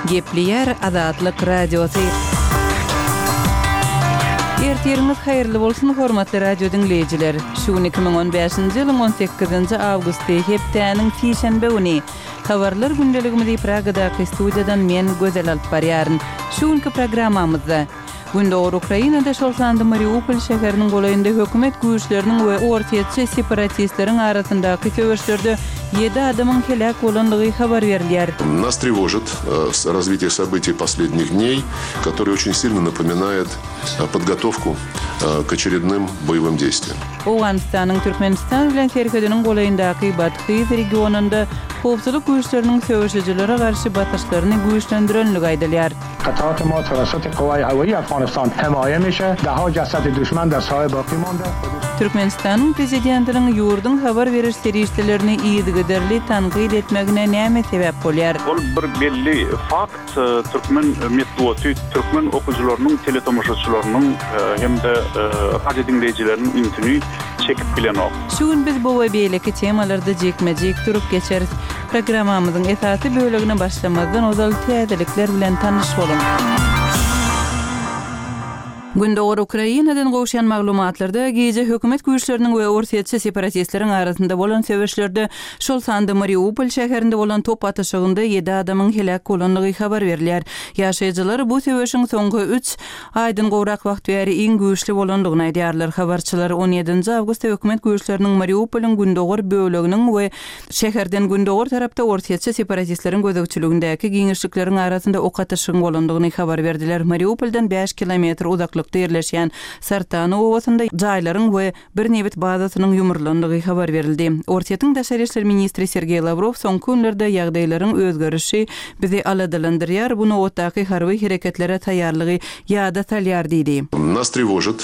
Gepleýär Azatlyk Radiosy. Ertiriňiz haýyrly bolsun, hormatly radio diňleýjiler! Şu gün 2015-nji ýylyň 18-nji awgusty, hepdäniň sişenbe güni. Habarlar gündeligimizi Pragadaky studiýadan men, Gözel alyp barýaryn. Şu günki programmamyzda. Gündogar Ukrainada, şol sanda Mariupol şäheriniň golaýynda hökümet güýçleriniň we orsýetçi separatistleriň arasyndaky söweşlerde ýedi adamyň heläk bolandygy habar berilýär. Nas trewožit razwitiýe sobytiý poslednih dneý, kotoryý oçin silno napominaet podgotowku k oçerednym boýewym deýstwiýam. Owganystanyň Türkmenistan bilen serhediniň golaýyndaky Badhyz regionynda howpsuzlyk güýçleriniň söweşijilere garşy basyşlaryny güýçlendirenligi aýdylýar. قطعات ما توسط قوای هوایی افغانستان حمایه میشه ده ها جسد دشمن در ساحه باقی مانده. Türkmenistanyň Prezidentiniň ýurduň habar beriş serişdelerini yzygiderli tankyt etmegine näme sebäp bolýar? Ol bir belli fakt, türkmen metbugaty türkmen okyjylarynyň, teletomaşaçylarynyň hem-de radio diňleýjileriniň ünsüni çekip bilenok. Şu gün biz bu we beýleki temalarda jikme-jik durup geçeris. Programmamyzyň esasy bölegine başlamazdan ozal täzelikler bilen tanyş boluň. Gündogar Ukrainadan gowşan maglumatlarda, gije hökümet güýçleriniň we orsýetçi separatistleriň arasynda bolan söweşlerde, şol sanda Mariupol şäherinde bolan top atyşygynda ýedi adamyň heläk bolandygy habar berilýär. Ýaşaýjylar bu söweşiň soňky üç aýdan gowrak wagt bäri iň güýçli bolandygyny aýdýarlar. Habarçylar on ýedinji awgustda hökümet güýçleriniň Mariupolyň gündogar böleginiň we Şäherden gündogar tarapda orsýetçi separatistleriň gözegçiligindäki giňişlikleriň arasynda ok atyşygyň bolandygyny habar berdiler. Mariupoldan bäş kilometr uzaklykda ýerleşýän Sartany obasynda jaýlaryň we bir nebit bazasynyň ýumrulandygy habar berildi. Orsýetiň daşary işler ministri Sergeý Lawrow soňky günlerde ýagdaýlaryň özgerişi bizi aladalandyrýar, bu nobatdaky harby hereketlere taýýarlygy ýada salýar diýdi. Nas trewožit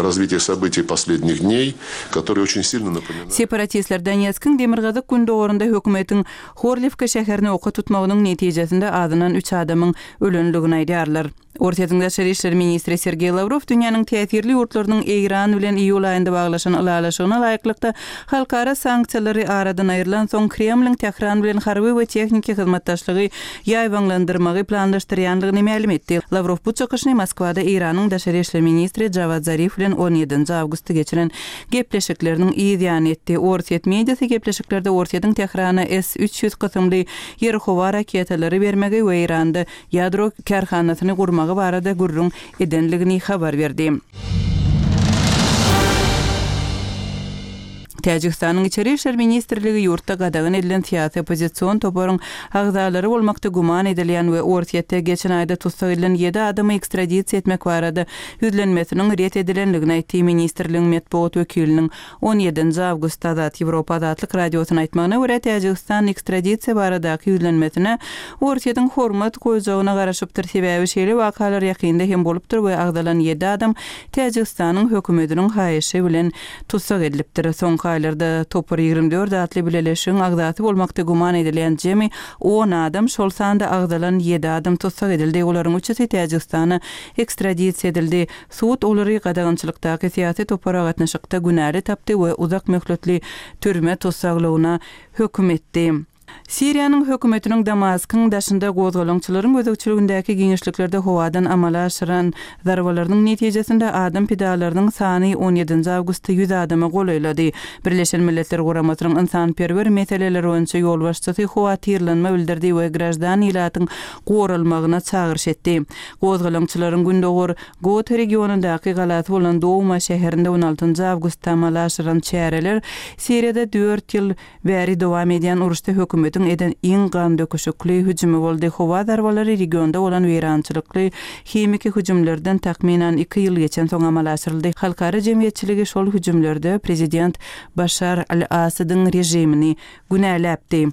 razwitiýe sobytiý poslednih dneý. Kotoryý oçin silno napominает. Separatistler Donetskiň demirgazyk-gündogarynda hökümetiň Horliwka şäherini oka tutmagynyň netijesinde azyndan üç adamyň ölendigini aýdýarlar. Orsýetiň daşary işler ministri Sergeý Lawrow dünýäniň täsirli ýurtlarynyň Eýran bilen iýul aýynda baglaşan ylalaşygyna laýyklykda halkara sanksiýalary aradan aýrylansoň Kremliň Tähran bilen harby we tehniki hyzmatdaşlygy ýaýbaňlandyrmagy planlaşdyrýandygyny mälim etdi. Lawrow bu çykyşyny Moskwada Eýranyň daşary işler ministri Jawad Zarif bilen on ýedinji awgustda geçiren gepleşikleriniň yz ýany etdi. Orsýet mediasy gepleşiklerde Orsýetiň Tährana S 300 kysymly ýer-howa raketalary bermegi we Eýranda ýadro kärhanasyny gurmagy barada gürrüň edenligini habar berdi. Täjigistanyň Içeri işler ministrligi ýurtda gadagan edilen syýasy oppozision toparyň agzalary bolmakda güman edilýän we Orsýetde geçen aýda tussag edilen ýedi adamy ekstradisiýa etmek barada ýüzlenmesiniň ret edilendigini aýtdy. Ministrligiň metbugat wekiliniň on ýedinji awgustda Azat Ýewropa Azatlyk Radiosyna aýtmagyna görä, Täjigistan ekstradisiýa baradaky ýüzlenmesine Orsýetiň hormat goýjagyna garaşypdyr, sebäbi şeýle wakalar ýakynda hem bolupdyr we agzalan ýedi adam Täjigistanyň hökümetiniň haýyşy bilen tussag edilipdir. Soňky aýlarda Topar 24 atly bileleşigiň agzasy bolmakda güman edilýän jemi on adam, şol sanda agzalan ýedi adam tussag edildi. Olaryň üçüsi Täjigistana ekstradisiýa edildi. Sud olary gadagançylykdaky syýasy topara gatnaşykda günäli tapdy we uzak möhletli türme tussaglygyna höküm etdi. Siriýanyň hökümetiniň Damaskyň daşynda gozgalaňçylaryň gözegçiligindäki giňişliklerde howadan amala aşyran zarbalarynyň netijesinde adam pidalarynyň sany on ýedinji awgustda ýüz adama golaýlady. Birleşen Milletler Guramasynyň ynsanperwer meseleler boýunça ýolbaşçysy howatyrlanma bildirdi we graždan ilatyň goralmagyna çagyryş etdi. Gozgalaňçylaryň gündogar Gota regionyndaky galasy bolan Douma şäherinde on altynjy awgustda amala aşyran çäreler Siriýada dört ýyl Bäri dowam edýän uruşda hökümetiň eden iň gandöküşikli hüjümi boldy. Howa zarbalary regionda bolan weýrançylykly himiki hüjümlerden takmynan iki ýyl geçensoň amala aşyryldy. Halkara jemgyýetçiligi şol hüjümlerde prezident Başar al-Asadyň režimini günäläpdi.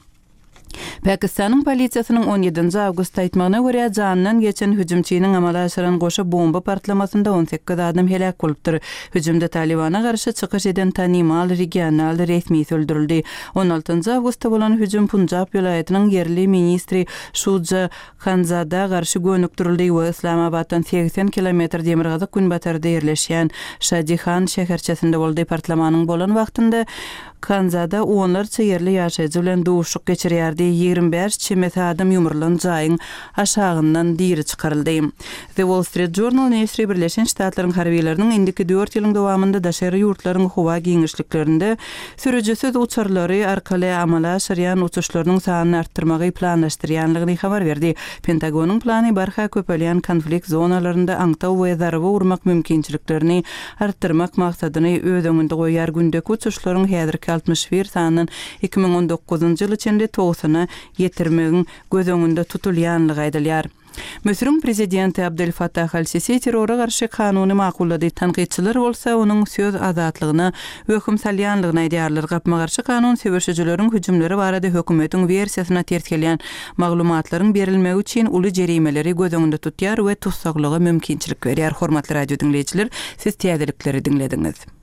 Pakistanyň polisiýasynyň on ýedinji awgustda aýtmagyna görä, janyndan geçen hüjümçiniň amala aşyran goşa bomba partlamasynda on sekiz adam heläk bolupdyr. Hüjümde Talybana garşy çykyş eden tanymal regional resmisi öldürildi. On altynjy awgustda bolan hüjüm Punjab welaýatynyň ýerli ministri Şuja Hanzada garşy gönükdirildi we Yslamabatdan 80 kilometr demirgazyk-günbatarda ýerleşýän Şadihan şäherçesinde boldy. Partlamanyň bolan wagtynda Hanzada onlarça ýerli ýaşaýjy bilen duşuşyk geçirýärdi. 25 çemesi adam ýumrulan jaýyň aşagyndan diri çykaryldy. The Wall Street Journal neşiri Birleşen Ştatlaryň harbylarynyň indiki dört ýylyň dowamynda daşary ýurtlaryň howa giňişliklerinde sürüjisiz uçarlary arkaly amala aşyrýan uçuşlarynyň sanyny artdyrmagy planlaşdyrýanlygyny habar berdi. Pentagonyň plany barha köpelýän konflikt zonalarynda aňtaw we zarba urmak mümkinçiliklerini artdyrmak maksadyny öz öňünde goýýar, gündeki uçuşlaryň häzirki 61 sandan 2019-njy ýyla çenli togsana ýetirmegiň göz öňünde tutulýanlygy aýdylýar. Müsüriň prezidenti Abdel Fattah al-Sisi terrora garşy kanuny makullady, tankytçylar bolsa onuň söz azatlygyna wehim salýanlygyny aýdýarlar. Gapma-garşy kanun söweşijileriň hüjümleri barada hökümetiň wersiýasyna ters gelýän maglumatlaryň berilmegi üçin uly jerimeleri göz öňünde tutýar we tussaglyga mümkinçilik berýär. Hormatly radio diňleýjiler, siz täzelikleri diňlediňiz.